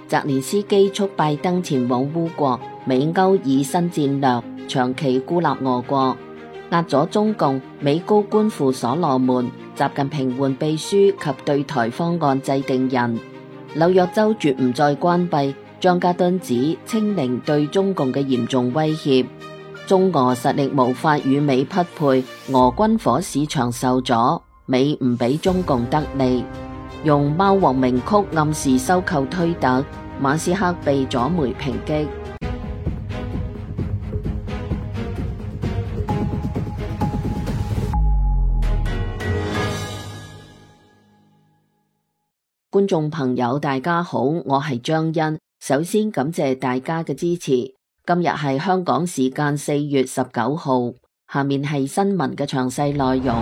澤連斯基促拜登前往烏國，美歐以新戰略長期孤立俄國，壓咗中共。美高官赴所羅門，習近平換秘書及對台方案制定人。紐約州絕唔再關閉，張家敦指清零對中共嘅嚴重威脅。中俄實力無法與美匹配，俄軍火市場受阻，美唔俾中共得利。用貓王名曲暗示收購推特，馬斯克被左媒抨擊。觀眾朋友大家好，我係張欣，首先感謝大家嘅支持。今日係香港時間4月19號，下面係新聞嘅詳細內容。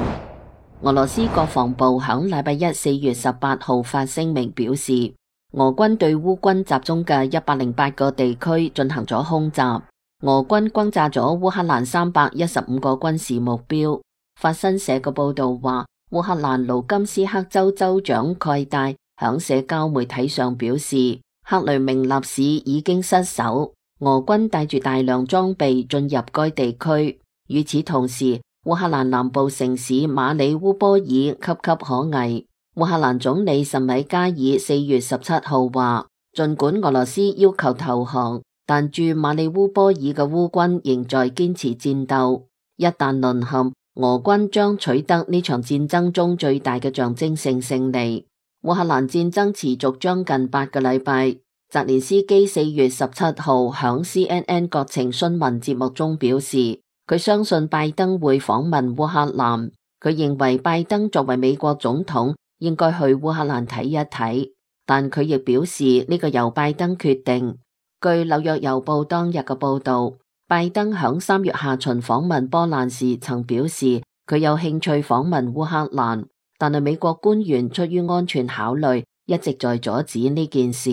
俄羅斯國防部響禮拜一4月18號發聲明表示，俄軍對烏軍集中嘅108個地區進行咗空襲，俄軍轟炸咗烏克蘭315個軍事目標。法新社嘅報道話，烏克蘭盧甘斯克州州長蓋戴響社交媒體上表示，克雷明納市已經失守，俄軍帶住大量裝備進入該地區。與此同時，烏克蘭南部城市馬里烏波爾岌岌可危。烏克蘭總理什米加爾4月17號話，儘管俄羅斯要求投降，但駐馬里烏波爾嘅烏軍仍在堅持戰鬥。一旦淪陷，俄軍將取得呢場戰爭中最大嘅象徵性勝利。烏克蘭戰爭持續將近8個禮拜。澤連斯基4月17號響 CNN 國情詢問節目中表示，佢相信拜登會訪問烏克蘭。佢認為拜登作為美國總統應該去烏克蘭睇一睇，但佢亦表示呢個由拜登決定。據紐約郵報當日嘅報道，拜登響3月下旬訪問波蘭時曾表示佢有興趣訪問烏克蘭，但係美國官員出於安全考慮一直在阻止呢件事。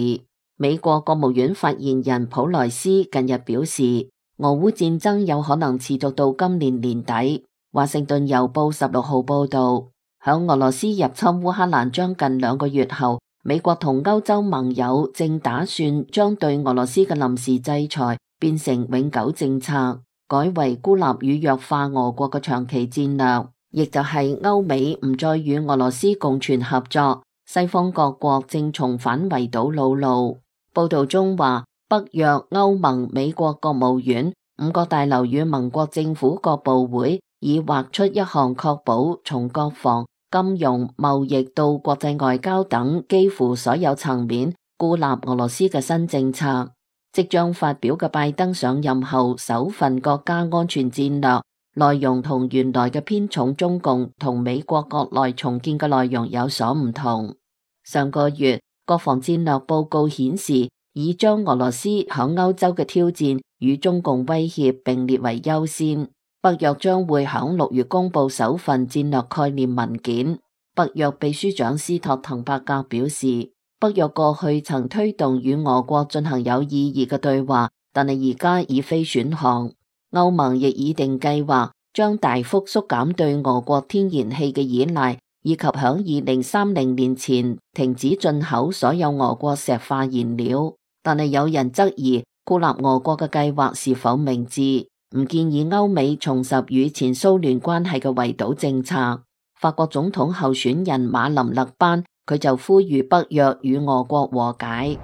美國國務院發言人普萊斯近日表示，俄烏戰爭有可能持續到今年年底。華盛頓郵報16號報道，響俄羅斯入侵烏克蘭將近2個月後，美國同歐洲盟友正打算將對俄羅斯嘅臨時制裁變成永久政策，改為孤立與弱化俄國嘅長期戰略，亦就係歐美唔再與俄羅斯共存合作。西方各國正重返圍堵老路。報道中話，北約、歐盟、美國國務院5個大樓與盟國政府各部會已劃出一項確保從國防、金融、貿易到國際外交等幾乎所有層面孤立俄羅斯嘅新政策。即將發表嘅拜登上任後首份國家安全戰略內容同原來嘅偏重中共同美國國內重建嘅內容有所唔同。上個月國防戰略報告顯示，已將俄羅斯響歐洲嘅挑戰與中共威脅並列為優先。北約將會響6月公布首份戰略概念文件。北約秘書長斯托滕伯格表示，北約過去曾推動與俄國進行有意義嘅對話，但係而家已非選項。歐盟亦擬定計劃，將大幅縮減對俄國天然氣嘅依賴，以及響2030年前停止進口所有俄國石化燃料。但係有人質疑孤立俄國嘅計劃是否明智，唔建議歐美重拾與前蘇聯關係嘅圍堵政策。法國總統候選人馬林勒班佢就呼籲北約與俄國和解。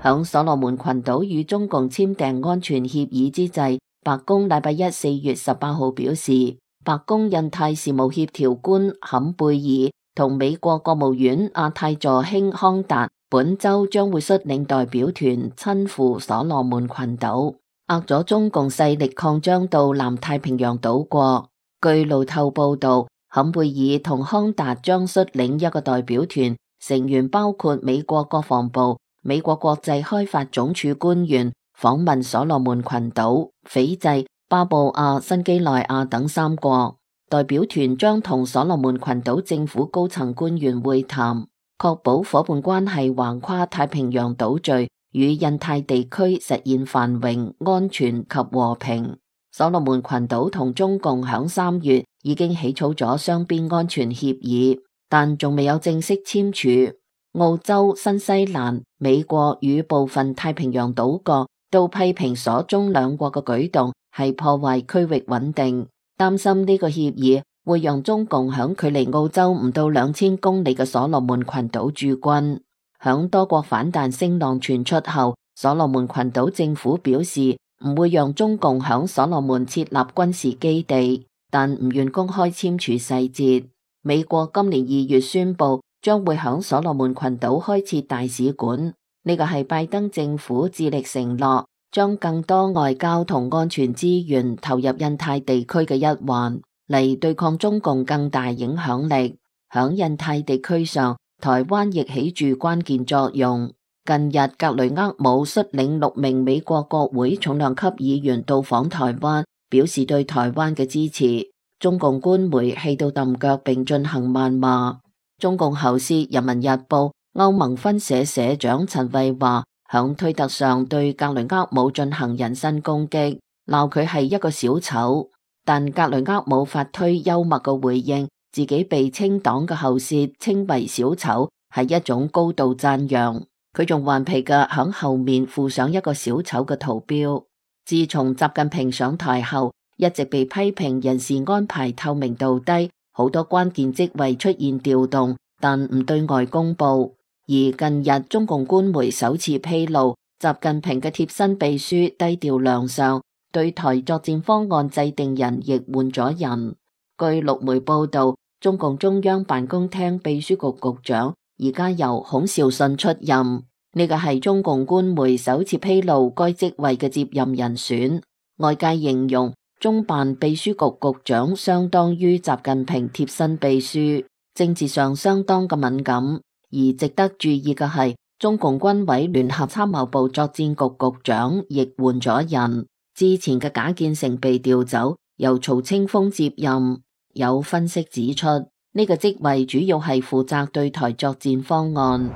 響所羅門群島與中共簽訂安全協議之際，白宮禮拜一4月18號表示，白宮印太事務協調官坎貝爾同美國國務院亞太助卿康達本周將會率領代表團親赴所羅門群島，遏咗中共勢力擴張到南太平洋島國。據路透報道，坎貝爾同康達將率領一個代表團，成員包括美國國防部、美國國際開發總署官員，訪問所羅門群島、斐濟、巴布亞新幾內亞等3國。代表團將同所羅門群島政府高層官員會談，確保伙伴關係橫跨太平洋島嶼，與印太地區實現繁榮、安全及和平。所羅門群島同中共響3月已經起草咗雙邊安全協議，但仲未有正式簽署。澳洲、新西蘭、美國與部分太平洋島國都批評所中兩國嘅舉動係破壞區域穩定，擔心呢個協議會讓中共響距離澳洲唔到2000公里嘅所羅門群島駐軍。響多國反彈聲浪傳出後，所羅門群島政府表示唔會讓中共響所羅門設立軍事基地，但唔願公開簽署細節。美國今年2月宣布將會響所羅門群島開設大使館，呢個係拜登政府致力承諾將更多外交同安全資源投入印太地區嘅一環，嚟對抗中共更大影響力。響印太地區上，台灣亦起住關鍵作用。近日，格雷厄姆率領6名美國國會重量級議員到訪台灣，表示對台灣嘅支持。中共官媒氣到揼腳並進行謾罵。中共喉舌《人民日報》歐盟分社社長陳慧華響推特上對格雷厄姆進行人身攻擊，鬧佢係一個小丑。但格雷厄姆發推幽默嘅回應，自己被清黨嘅喉舌稱為小丑係一種高度讚揚。佢仲頑皮嘅響後面附上一個小丑嘅圖標。自從習近平上台後，一直被批評人事安排透明度低，好多關鍵職位出現調動，但唔對外公布。而近日中共官媒首次披露，習近平嘅貼身秘書低調亮相，對台作戰方案制定人亦換咗人。據陸媒報道，中共中央辦公廳秘書局局長而家由孔兆信出任，呢個係中共官媒首次披露該職位嘅接任人選。外界形容中辦秘書局局長相當於習近平貼身秘書，政治上相當嘅敏感。而值得注意嘅係，中共軍委聯合參謀部作戰局局長亦換咗人，之前嘅賈建成被調走，由曹清峰接任。有分析指出，呢個職位主要係負責對台作戰方案。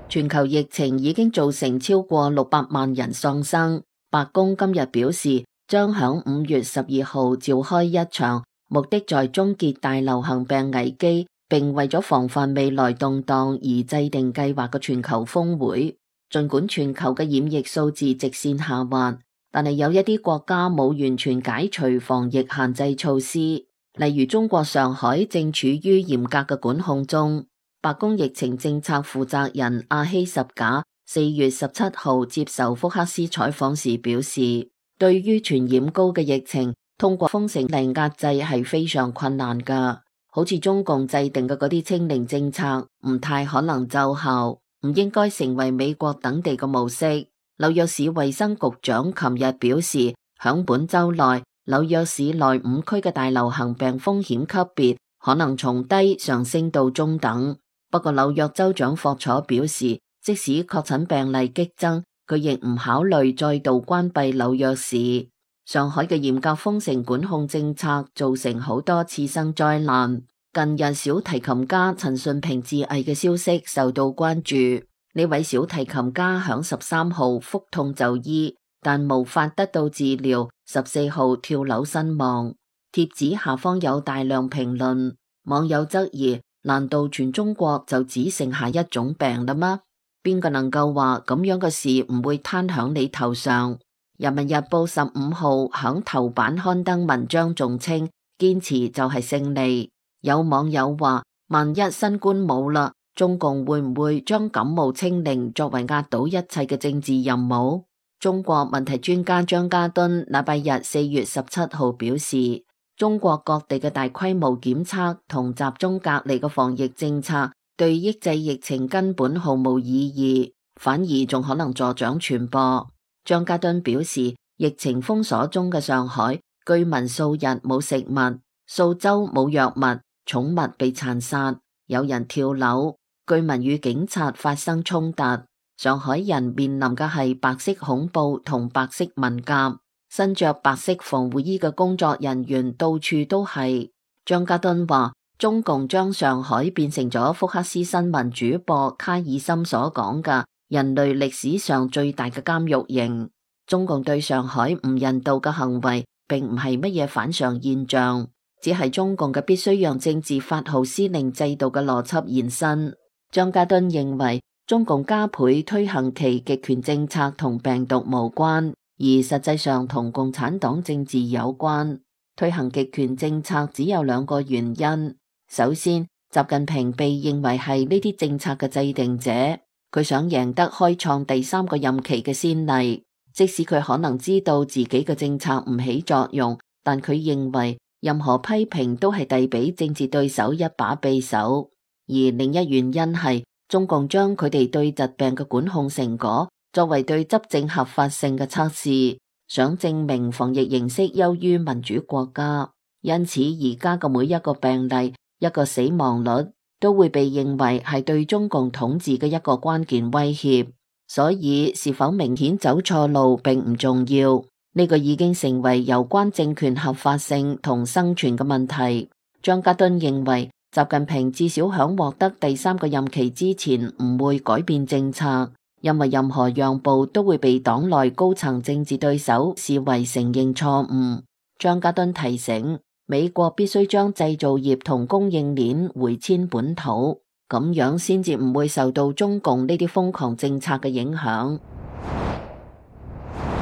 全球疫情已經造成超過600萬人喪生。白宮今日表示，將響5月12號召開一場目的在終結大流行病危機，並為咗防範未來動盪而制定計劃嘅全球峰會。盡管全球嘅染疫數字直線下滑，但係有一啲國家冇完全解除防疫限制措施，例如中國上海正處於嚴格嘅管控中。白宮疫情政策負責人阿希什賈4月17號接受福克斯採訪時表示，對於傳染高嘅疫情，通過封城令壓制係非常困難㗎。好似中共制定嘅嗰啲清零政策唔太可能奏效，唔應該成為美國等地嘅模式。紐約市衛生局長琴日表示，響本周內紐約市內5區嘅大流行病風險級別可能從低上升到中等。不過紐約州長霍楚表示，即使確診病例激增，佢亦唔考慮再度關閉紐約市。上海嘅嚴格封城管控政策造成好多次生災難。近日小提琴家陳順平自縊嘅消息受到關注。呢位小提琴家響13號腹痛就醫，但無法得到治療，14號跳樓身亡。帖子下方有大量評論，網友質疑：難道全中國就只剩下一種病啦嗎？邊個能夠話咁樣嘅事唔會攤響你頭上？人民日報15號響頭版刊登文章，仲稱堅持就係勝利。有網友話，萬一新冠冇啦，中共會唔會將感冒清零作為壓倒一切嘅政治任務？中國問題專家張家敦禮拜日4月17號表示，中國各地嘅大規模檢測同集中隔離嘅防疫政策對抑制疫情根本毫無意義，反而仲可能助長傳播。張家敦表示，疫情封鎖中嘅上海，居民數日冇食物，數周冇藥物，寵物被殘殺，有人跳樓，居民與警察發生衝突。上海人面臨嘅係白色恐怖同白色文革，身着白色防護衣嘅工作人員到處都係。張家敦話，中共將上海變成咗福克斯新聞主播卡爾森所講嘅人類歷史上最大嘅監獄營。中共對上海唔人道嘅行為並唔係乜嘢反常現象，只係中共嘅必須讓政治發號施令制度嘅邏輯延伸。張家敦認為，中共加倍推行其極權政策同病毒無關，而實際上同共產黨政治有關。推行極權政策只有兩個原因。首先，習近平被認為係呢啲政策嘅制定者，佢想贏得開創第三個任期嘅先例。即使佢可能知道自己嘅政策唔起作用，但佢認為任何批評都係遞俾政治對手一把匕首。而另一原因係中共將佢哋對疾病嘅管控成果作為對執政合法性嘅測試，想證明防疫形式優於民主國家。因此而家嘅每一個病例、一個死亡率都會被認為係對中共統治嘅一個關鍵威脅。所以是否明顯走錯路並唔重要，呢個已經成為有關政權合法性同生存嘅問題。張家敦認為習近平至少響獲得第三個任期之前唔會改變政策，因為任何讓步都會被黨內高層政治對手視為承認錯誤。張家敦提醒，美國必須將製造業同供應鏈回遷本土，咁樣先至唔會受到中共呢啲瘋狂政策嘅影響。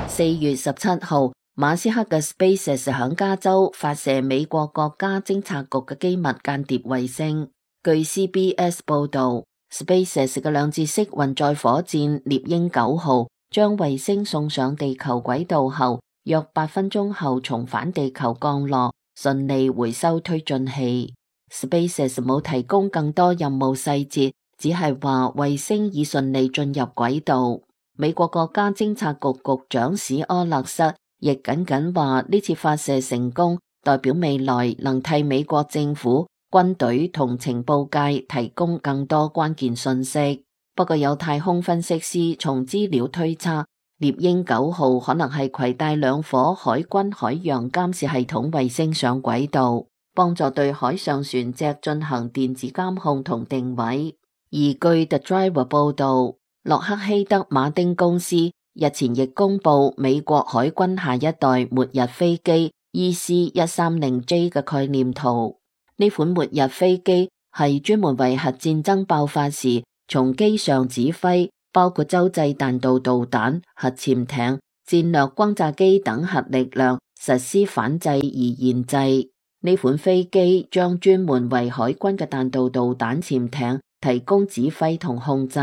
4月17號，馬斯克嘅 SpaceX 響加州發射美國國家偵察局嘅機密間諜衛星。據 CBS 報道，SpaceX 嘅兩節式運載火箭獵鷹9號將衛星送上地球軌道後，約8分鐘後重返地球降落，順利回收推進器。SpaceX 冇提供更多任務細節，只係話衛星已順利進入軌道。美國國家偵察局局長史柯勒瑟亦僅僅話呢次發射成功，代表未來能替美國政府、軍隊同情報界提供更多關鍵信息。不過有太空分析師從資料推測，獵鷹9號可能係攜帶2顆海軍海洋監視系統衛星上軌道，幫助對海上船隻進行電子監控同定位。而據 The Driver 報道，洛克希德馬丁公司日前亦公布美國海軍下一代末日飛機 EC-130J 嘅概念圖。呢款末日飛機係專門為核戰爭爆發時從機上指揮，包括洲際彈道導彈、核潛艇、戰略轟炸機等核力量實施反制而研製。呢款飛機將專門為海軍嘅彈道導彈潛艇提供指揮同控制。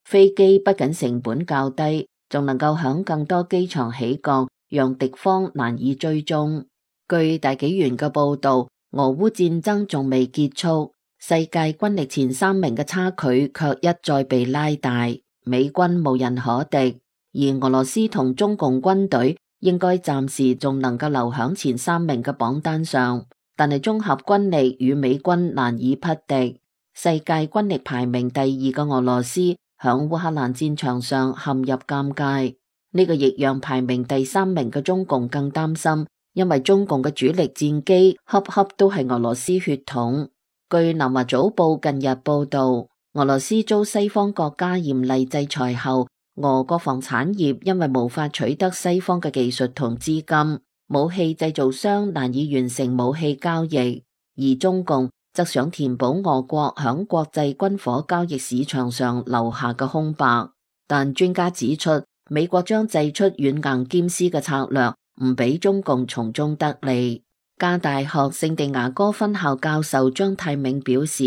飛機不僅成本較低，仲能夠響更多機場起降，讓敵方難以追蹤。據大紀元嘅報道，俄烏戰爭仲未結束，世界軍力前3名嘅差距卻一再被拉大，美軍無人可敵，而俄羅斯同中共軍隊應該暫時仲能夠留響前3名嘅榜單上，但係綜合軍力與美軍難以匹敵。世界軍力排名第2嘅俄羅斯響烏克蘭戰場上陷入尷尬，呢個亦讓排名第3名嘅中共更擔心，因為中共嘅主力戰機恰恰都係俄羅斯血統。據南華早報近日報道，俄羅斯遭西方國家嚴厲制裁後，俄國防產業因為無法取得西方嘅技術同資金，武器製造商難以完成武器交易，而中共則想填補俄國響國際軍火交易市場上留下嘅空白。但專家指出，美國將祭出軟硬兼施嘅策略，唔俾中共從中得利。加大學聖地牙哥分校教授張太銘表示，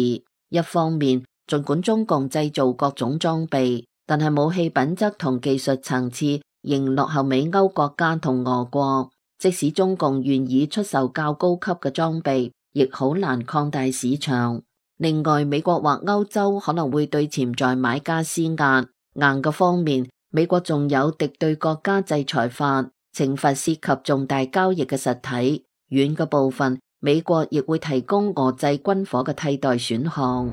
一方面儘管中共製造各種裝備，但係武器品質同技術層次仍落後美歐國家同俄國，即使中共願意出售較高級嘅裝備，亦好難擴大市場。另外，美國或歐洲可能會對潛在買家施壓。硬嘅方面，美國仲有敵對國家制裁法，懲罰涉及重大交易嘅實體。軟嘅部分，美國亦會提供俄製軍火嘅替代選項。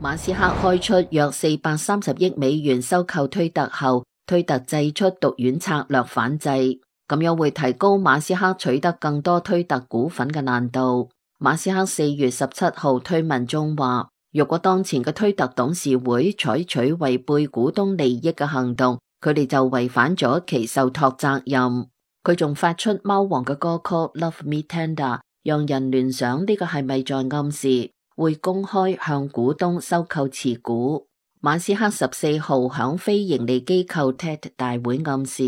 馬斯克開出約430億美元收購推特後，推特祭出毒丸策略反制，咁樣會提高馬斯克取得更多推特股份嘅難度。馬斯克4月17號推文中話，如果當前嘅推特董事會採取違背股東利益嘅行動，佢哋就違反咗其受託責任。佢仲發出貓王嘅歌曲 Love Me Tender， 讓人聯想呢個係咪在暗示會公開向股東收購持股。馬斯克14號響非盈利機構 TED 大會暗示，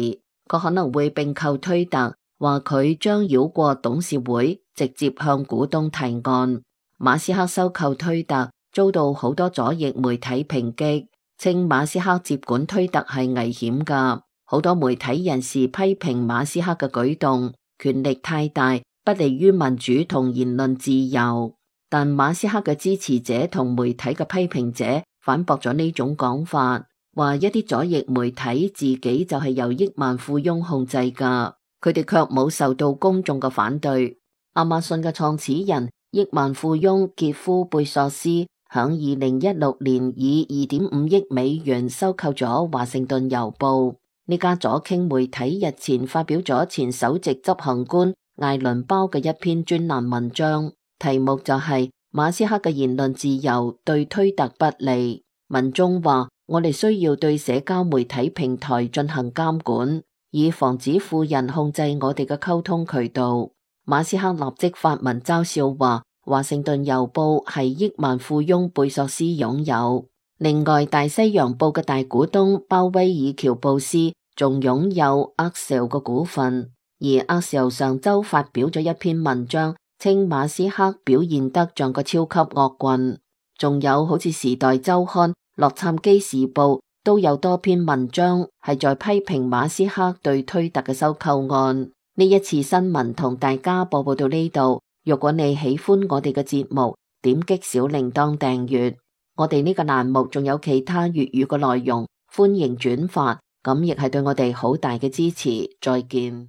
佢可能會併購推特，話佢將繞過董事會，直接向股東提案。馬斯克收購推特遭到好多左翼媒體抨擊，稱馬斯克接管推特係危險㗎。好多媒體人士批評馬斯克嘅舉動，權力太大，不利於民主同言論自由。但馬斯克嘅支持者同媒體嘅批評者反駁咗呢種講法，話一啲左翼媒體自己就係由億萬富翁控制㗎，佢哋卻冇受到公眾嘅反對。亞馬遜嘅創始人億萬富翁傑夫貝索斯響2016年以2.5億美元收購咗華盛頓郵報。呢家左傾媒體日前發表咗前首席執行官艾倫鮑嘅一篇專欄文章，題目就係馬斯克嘅言論自由對推特不利。文中話，我哋需要對社交媒體平台進行監管，以防止富人控制我哋嘅溝通渠道。馬斯克立即發文嘲笑話，華盛頓郵報係億萬富翁貝索斯擁有。另外，大西洋報嘅大股東鮑威爾喬布斯仲擁有 Axios 嘅股份，而 Axios 上周發表咗一篇文章，稱馬斯克表現得像個超級惡棍。仲有好似時代週刊、洛杉磯時報都有多篇文章係在批評馬斯克對推特嘅收購案。呢一次新聞同大家播報到呢度，如果你喜歡我哋嘅節目，點擊小鈴鐺訂閱。我哋呢個欄目仲有其他粵語嘅內容，歡迎轉發，咁亦係對我哋好大嘅支持。再見。